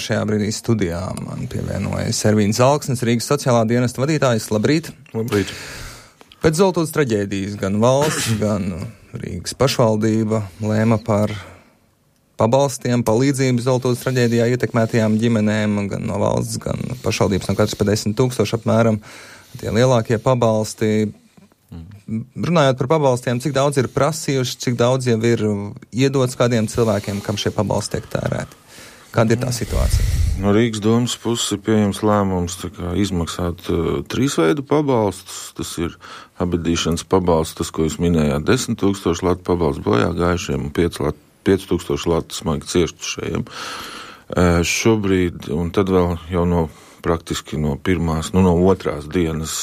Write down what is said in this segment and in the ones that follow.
Šajā brīdī studijā man pievienojas Ervīns Zalksnis, Rīgas sociālā dienesta vadītājs. Labrīt! Labrīt! Pēc Zoltūdas traģēdijas gan valsts, gan Rīgas pašvaldība lēma par pabalstiem, palīdzību Zoltūdas traģēdijā ietekmētajām ģimenēm, gan no valsts, gan pašvaldības, no katras pa 10 000 apmēram. Tie lielākie pabalsti. Runājot par pabalstiem, cik daudz ir prasījuši, cik daudz jau ir iedots kādiem cilvēkiem, kam šie pabalsti tiek tērēti? Kāda ir tā situācija? No Rīgas domas puses ir pieņems lēmums izmaksāt 3 veidu pabalstus. Tas ir abedīšanas pabalsts, tas, ko jūs minējāt, 10 000 latu pabalsts bojā gājušiem un 5 000 latu smagi cietušajiem. Šobrīd, un tad vēl jau praktiski no otrās dienas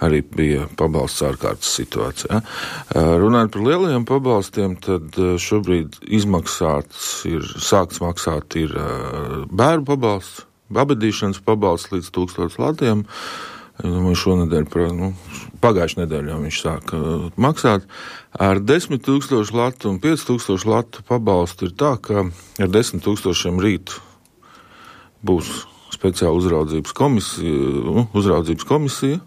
arī bija pabalsts ārkārtas situācijā. Runājot par lielajiem pabalstiem, tad šobrīd sākts maksāt ir bērnu pabalsts, abedīšanas pabalsts līdz 1000 latiem. Šonedēļ, pagājušajā nedēļā viņš sāka maksāt. Ar 10 000 latu un 5 000 latu pabalstu ir tā, ka ar 10 000 rīt būs speciāla uzraudzības komisija,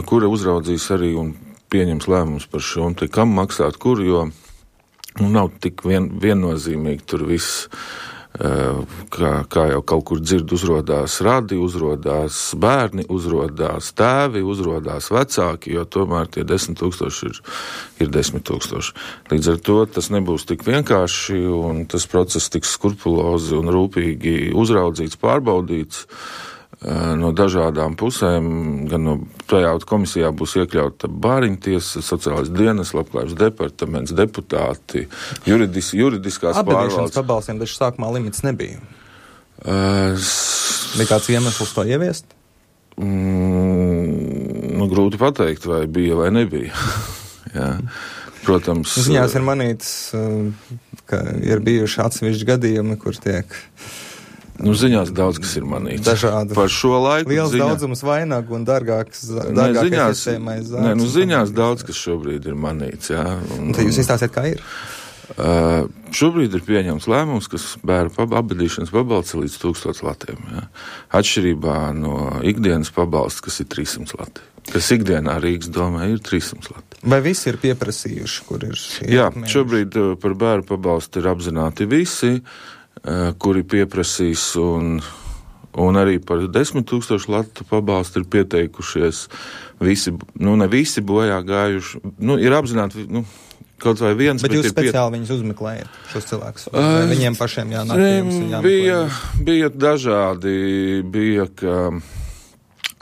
kura uzraudzīs arī un pieņems lēmumus par šo un kam maksāt kur, jo nav tik viennozīmīgi tur viss, kā jau kaut kur dzird, uzrodās radi, uzrodās bērni, uzrodās tēvi, uzrodās vecāki, jo tomēr tie 10 000 ir 10 000. Līdz ar to tas nebūs tik vienkārši un tas process tiks skrupulozi un rūpīgi uzraudzīts, pārbaudīts no dažādām pusēm, gan no tajā komisijā būs iekļauta bāriņtiesa, sociālais dienas, labklājības departaments, deputāti, juridiskās pārvaldes. Abedīšanas pabalstiem taču sākumā limits nebija. Bija kāds iemesls to ieviest? Grūti pateikt, vai bija vai nebija. Jā. Protams. Ziņās ir manīts, ka ir bijuši atsevišķi gadījumi, kur tiek ziņās daudz, kas ir manīts. Dažādi. Par šo laiku. Liels daudzums vainagu un dārgāks iespējamais zāles. Ziņās daudz, kas šobrīd ir manīts, jā. Tad jūs izstāstiet, kā ir? Šobrīd ir pieņemts lēmums, kas bērnu abedīšanas pabalsts līdz 1000 latiem, jā. Atšķirībā no ikdienas pabalsts, kas ir 300 lati. Kas ikdienā Rīgas domē ir 300 lati. Vai visi ir pieprasījuši, kur ir šie? Jā, šobrīd par bērnu pabalstu ir apzināti visi, kuri pieprasīs un arī par 10 000 latu pabalstu ir pieteikušies visi, ne visi bojā gājuši, ir apzināti, kaut vai viens. Bet jūs speciāli viņus uzmeklējat, šos cilvēkus? Vai viņiem pašiem jānāk? Bija dažādi, ka,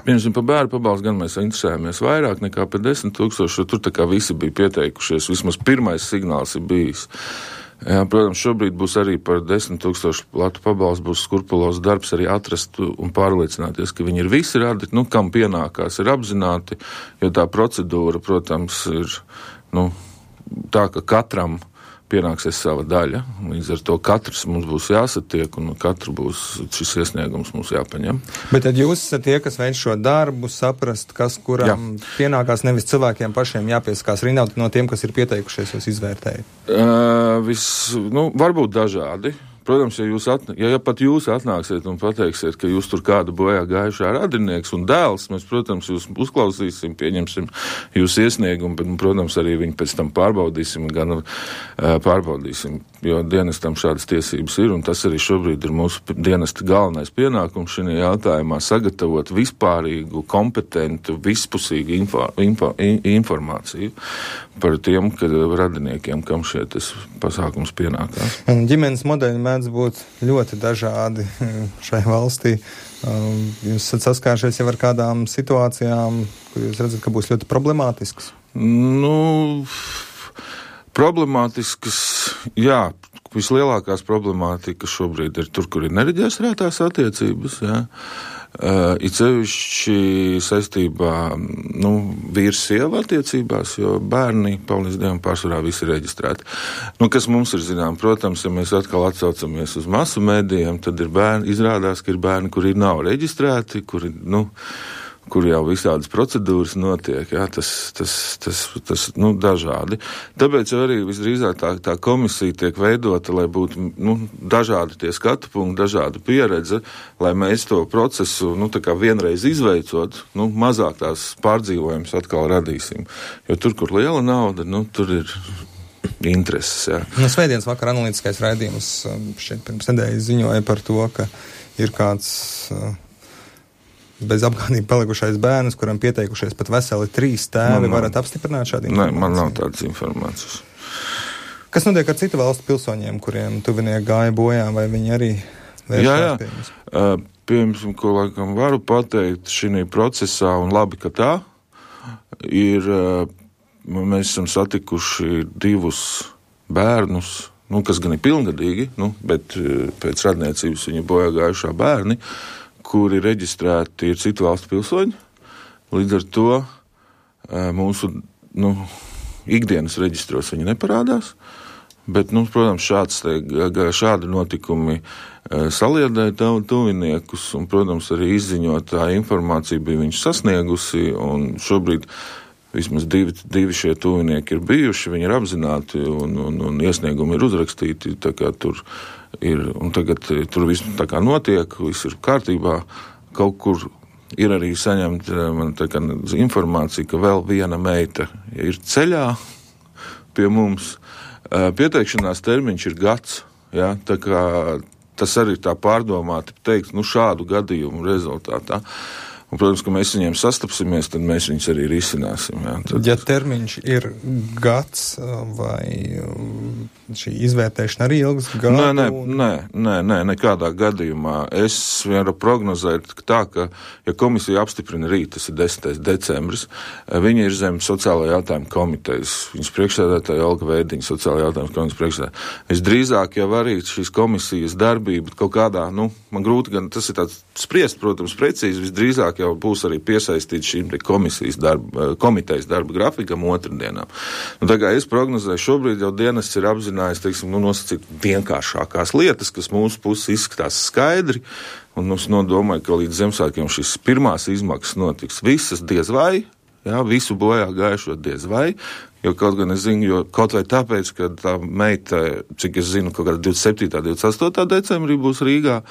piemēram, par bērnu pabalstu gan mēs interesējāmies vairāk nekā par 10 000, jo tur tā kā visi bija pieteikušies, vismaz pirmais signāls ir bijis. Jā, protams, šobrīd būs arī par 10 000 latu pabalstu būs skrupulos darbs arī atrast un pārliecināties, ka viņi ir visi radi, kam pienākās, ir apzināti, jo tā procedūra, protams, ir, tā, ka katram pienāksies sava daļa, līdz ar to katrs mums būs jāsatiek un katru būs šis iesniegums mums jāpaņem. Bet tad jūs esat tie, kas veic šo darbu, saprast, kas kuram pienākās, nevis cilvēkiem pašiem jāpieskās rindā, no tiem, kas ir pieteikušies, jūs izvērtējat? Varbūt dažādi. Protams, ja pat jūs atnāksiet un pateiksiet, ka jūs tur kādu bojā gājušā radinieks un dēls, mēs, protams, jūs uzklausīsim, pieņemsim jūsu iesniegumu, bet, protams, arī viņu pēc tam pārbaudīsim, jo dienestam šādas tiesības ir, un tas arī šobrīd ir mūsu dienesta galvenais pienākums šajā jautājumā sagatavot vispārīgu, kompetentu, vispusīgu informāciju par tiem radiniekiem, kam šie tas pasākums pienākās. Ģimenes modeļi mēdz būt ļoti dažādi šai valstī. Jūs esat saskāršies jau ar kādām situācijām, kur jūs redzat, ka būs ļoti problemātisks? Problemātiskas, jā. Vislielākās problemātikas šobrīd ir tur, kur ir nereģistrētās attiecības, jā. It sevišķi saistībā, vīrs sieva attiecībās, jo bērni, paldies Dievam, pārsvarā visi ir reģistrēti. Kas mums ir zinām, protams, ja mēs atkal atsaucamies uz masu mēdījiem, tad ir bērni, izrādās, ka ir bērni, kuri nav reģistrēti, kuri, kur jau visādas procedūras notiek, jā, tas dažādi. Tāpēc arī visdrīzāk tā komisija tiek veidota, lai būtu, dažādi tie skatu punkti, dažāda pieredze, lai mēs to procesu, tā kā vienreiz izveicot, mazāk tās pārdzīvojums atkal radīsim. Jo tur, kur liela nauda, tur ir intereses, jā. Svētdienas vakar analītiskais raidījums šeit pirms nedēļas ziņoja par to, ka ir kāds bez apgādību palikušais bērns, kuram pieteikušies pat veseli 3 tēvi. Varat apstiprināt šādu informāciju? Nē, man nav tādas informācijas. Kas notiek ar citu valstu pilsoņiem, kuriem tuvinieki gāja bojā, vai viņi arī vēršās pie jums? Piemēram, ko laikam varu pateikt šī procesā, un labi, ka tā ir, mēs esam satikuši 2 bērnus, kas gan ir pilngadīgi, bet pēc radniecības viņi bojā gājušā bērni, kuri reģistrēti ir citu valstu pilsoņi. Līdz ar to mūsu ikdienas reģistros viņi neparādās, bet, protams, šādi notikumi saliedēja tuviniekus, un, protams, arī izziņotā informācija bija viņus sasniegusi, un šobrīd vismaz 2 šie tuvinieki ir bijuši, viņi ir apzināti, un iesniegumi ir uzrakstīti, tā kā tur ir, un tagad tur viss tā kā notiek, viss ir kārtībā. Kaut kur ir arī saņemta informācija, ka vēl viena meita ir ceļā pie mums. Pieteikšanās termiņš ir gads, jā, tā kā tas arī tā pārdomāti teikt, šādu gadījumu rezultātā. Un, protams, ka mēs viņiem sastapsimies, tad mēs viņus arī risināsim. Jā. Ja termiņš ir gads, vai šī izvērtēšana arī ilgs gadu? Nē, nekādā gadījumā. Es varu prognozēt tā, ka, ja komisija apstiprina rīt, tas ir 10. decembris, viņi ir zem sociālā jautājuma komitejas. Viņas priekšsēdētāja Olga Veidiņa, sociālā jautājuma komitejas priekšsēdētāja. Visdrīzāk jau arī šīs komisijas darbība kaut kādā, man grūti gan tas ir tāds spriest, protams, precīzi, visdrīzāk jau būs arī piesaistīts šīm komitejas darba grafikam otrdienām. Tā kā es prognozēju, šobrīd jau dienests ir apzinājis, nosacīt vienkāršākās lietas, kas mūsu puses izskatās skaidri, un mums domāju, ka līdz Ziemassvētkiem šīs pirmās izmaksas notiks visas diez vai, jā, visu bojā gājušo diez vai, jo kaut gan es zinu, kaut vai tāpēc, ka tā meita, cik es zinu, kaut kādā 27. 28. decembrī būs Rīgā.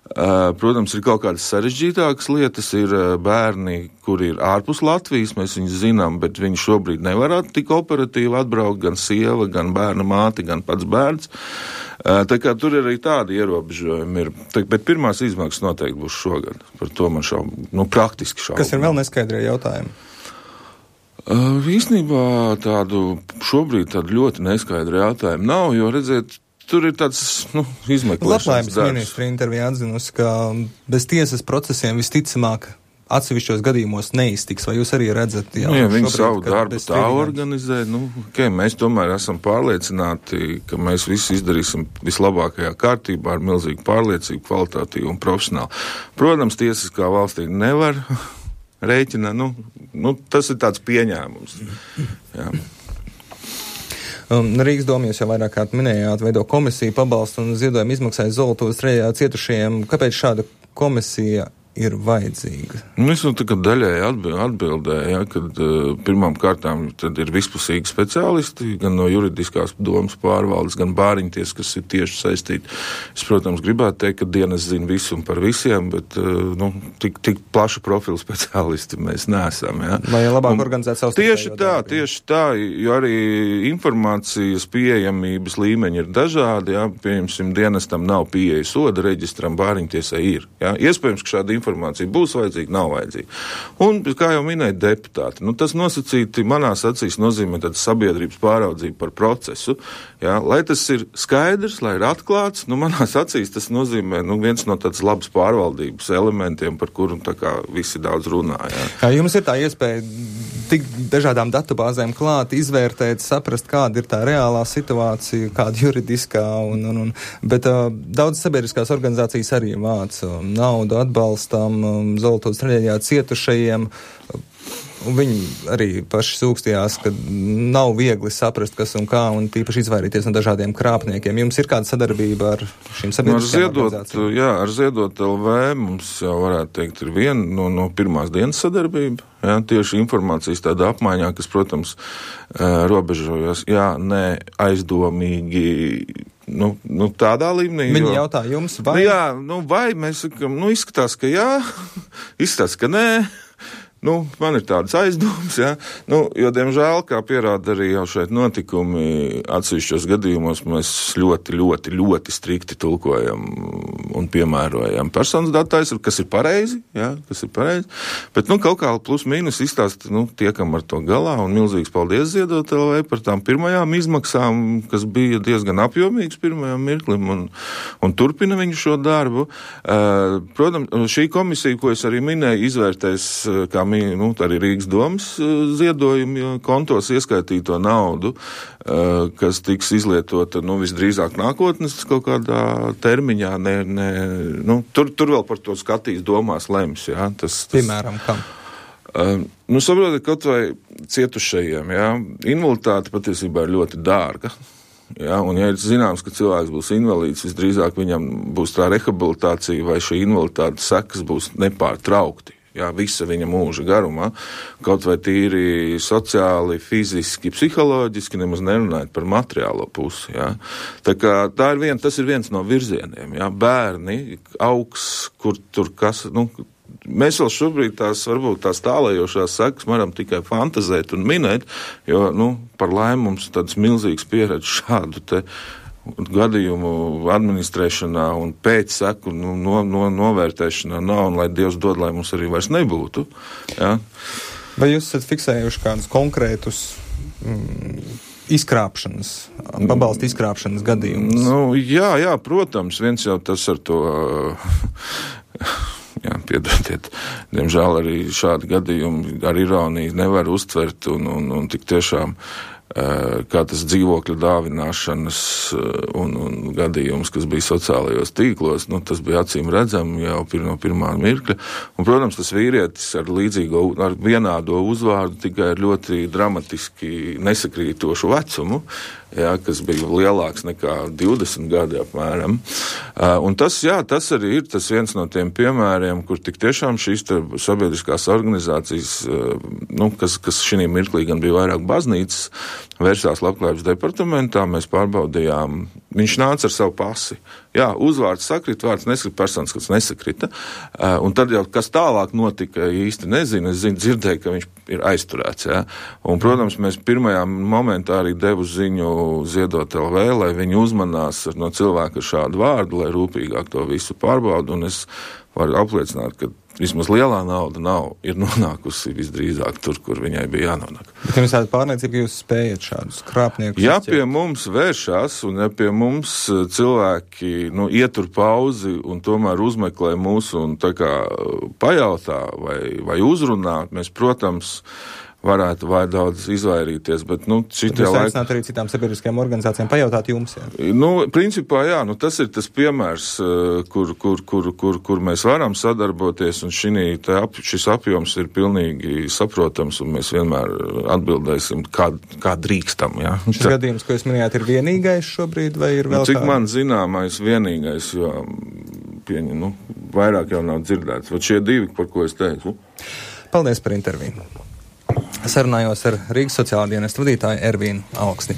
Protams, ir kaut kādas sarežģītākas lietas, ir bērni, kuri ir ārpus Latvijas, mēs viņus zinām, bet viņi šobrīd nevarētu tik operatīvi atbraukt, gan sieva, gan bērna māte, gan pats bērns. Tā kā tur arī tādi ierobežojumi ir. Bet pirmās izmaksas noteikti būs šogad. Par to man praktiski šaubu. Kas ir vēl neskaidrie jautājumi? Īstenībā šobrīd tādu ļoti neskaidru jautājumu nav, jo redziet, tur ir tāds, izmeklēšanas Labklājības darbs. Ministra intervijā atzinusi, ka bez tiesas procesiem visticamāk atsevišķos gadījumos neiztiks, vai jūs arī redzat? Jā, viņi savu darbu tā organizē. Mēs tomēr esam pārliecināti, ka mēs visi izdarīsim vislabākajā kārtībā ar milzīgu pārliecību, kvalitātīvu un profesionālu. Protams, tiesas kā valstī nevar rēķināt, tas ir tāds pieņēmums. Jā. Rīgas doma, jūs jau vairāk kārt minējāt, veido komisiju pabalstu un ziedojumu izmaksāja Zolotuvas trejā cietušajiem. Kāpēc šāda komisija ir vajadzīga? Es daļēji atbildēju, kad pirmām kārtām tad ir vispusīgi speciālisti, gan no juridiskās domas pārvaldes, gan bāriņties, kas ir tieši saistīti. Es, protams, gribētu teikt, ka dienas zina visu un par visiem, bet tik plašu profilu speciālisti mēs neesam. Ja. Vai labāk organizēt savus? Tieši tā, jo arī informācijas pieejamības līmeņi ir dažādi. Ja. Pieņemsim, dienestam nav pieeja soda reģistram, bāriņtiesai ir. Ja. Iespējams, ka šāda informācija būs vajadzīga, nav vajadzīga. Un, kā jau minēja deputāti, tas nosacīti manās acīs nozīmē tādu sabiedrības pāraudzību par procesu. Jā, lai tas ir skaidrs, lai ir atklāts, manās acīs tas nozīmē viens no tādas labas pārvaldības elementiem, par kuru visi daudz runā. Jā. Jums ir tā iespēja tik dažādām datubāzēm klāt, izvērtēt, saprast, kāda ir tā reālā situācija, kāda juridiskā, bet daudz sabiedriskās organizācijas arī vāc naudu atbalstam Zolotuvas traģēdijā cietušajiem. Un viņi arī paši sūkstījās, ka nav viegli saprast, kas un kā, un tīpaši izvairīties no dažādiem krāpniekiem. Jums ir kāda sadarbība ar šīm sabiedriskajām organizācijām? Jā, ar Ziedot LV mums jau varētu teikt ir viena no pirmās dienas sadarbība. Jā, tieši informācijas tāda apmaiņā, kas, protams, robežojas, aizdomīgi, tādā līmenī. Viņi jautā jums, vai? Vai mēs sakam, izskatās, ka jā, izskatās, ka nē. Man ir tādas aizdomas, jo, diemžēl, kā pierāda arī jau šeit notikumi, atsevišķos gadījumos mēs ļoti, ļoti, ļoti strikti tulkojam un piemērojam personas datu aizsardzību, kas ir pareizi, bet, kaut kā plus mīnus izstāst, tiekam ar to galā, un milzīgs paldies Ziedot LV par tām pirmajām izmaksām, kas bija diezgan apjomīgas pirmajām mirklim, un turpina viņu šo darbu. Protams, šī komisija, ko es arī minēju, izvērtēs, kā arī Rīgas domas ziedojumu kontos ieskaitīto naudu, kas tiks izlietota, visdrīzāk nākotnes kaut kādā termiņā. Tur vēl par to skatīs, domās, lems. Piemēram, kam? Saprotiet, kaut vai cietušajiem, invaliditāte patiesībā ir ļoti dārga. Un, ja ir zināms, ka cilvēks būs invalīds, visdrīzāk viņam būs tā rehabilitācija vai šī invaliditātes sekas būs nepārtraukti. Visa viņa mūža garumā, kaut vai tīri sociāli, fiziski, psiholoģiski, nemaz nerunājot par materiālo pusi. Tā kā tas ir viens no virzieniem. Bērni augs, kur tur kas, mēs vēl šobrīd varbūt tās tālējošās sekas varam tikai fantazēt un minēt, jo, par laimi mums tāds milzīgs pieredze šādu te gadījumu administrēšanā un pēcseku novērtēšanā nav, un lai Dievs dod, lai mums arī vairs nebūtu. Vai jūs esat fiksējuši kādus konkrētus izkrāpšanas, pabalstu izkrāpšanas gadījumus? Jā, protams, viens jau tas ar to... Piedodiet, diemžēl arī šādi gadījumi ar ironiju nevar uztvert un tik tiešām kā tas dzīvokļu dāvināšanas un gadījums, kas bija sociālajos tīklos, tas bija acīm redzami jau no pirmā mirkļa. Un, protams, tas vīrietis ar vienādo uzvārdu tikai ar ļoti dramatiski nesakrītošu vecumu, kas bija lielāks nekā 20 gadi apmēram. Un tas arī ir tas viens no tiem piemēriem, kur tik tiešām šīs sabiedriskās organizācijas, kas šī mirklī gan bija vairāk baznīcas, vērsās Labklājības departamentā, mēs pārbaudījām, viņš nāca ar savu pasi. Uzvārds sakrita, vārds nesakrita, personas, kas nesakrita. Un tad jau, kas tālāk notika, īsti nezinu, dzirdēju, ka viņš ir aizturēts. Un, protams, mēs pirmajā momentā arī devu ziņu Ziedot LV, lai viņi uzmanās no cilvēka ar šādu vārdu, lai rūpīgāk to visu pārbaudu. Un es varu apliecināt, ka vismaz lielā nauda ir nonākusi visdrīzāk tur, kur viņai bija jānonāk. Bet jums tāda pārliecība, ka jūs spējat šādus krāpniekus? Ja pie mums vēršās un ja pie mums cilvēki ietur pauzi un tomēr uzmeklē mūsu un tā kā pajautā vai uzrunā, mēs, protams, varētu vai daudz izvairīties, bet, šitie laiki... Jūs aicināt arī citām sabiedriskajām organizācijām pajautāt jums, Principā, tas ir tas piemērs, kur mēs varam sadarboties, un šis apjoms ir pilnīgi saprotams, un mēs vienmēr atbildēsim, kā drīkstam, Šis gadījums, ko jūs minējāt, ir vienīgais šobrīd, vai ir vēl cik man zināmais vienīgais, jo vairāk jau nav dzirdēts. Vat šie divi, par ko es teicu. Paldies par interviju. Sarunājos ar Rīgas sociālā dienesta vadītāju Ervīnu Alksni.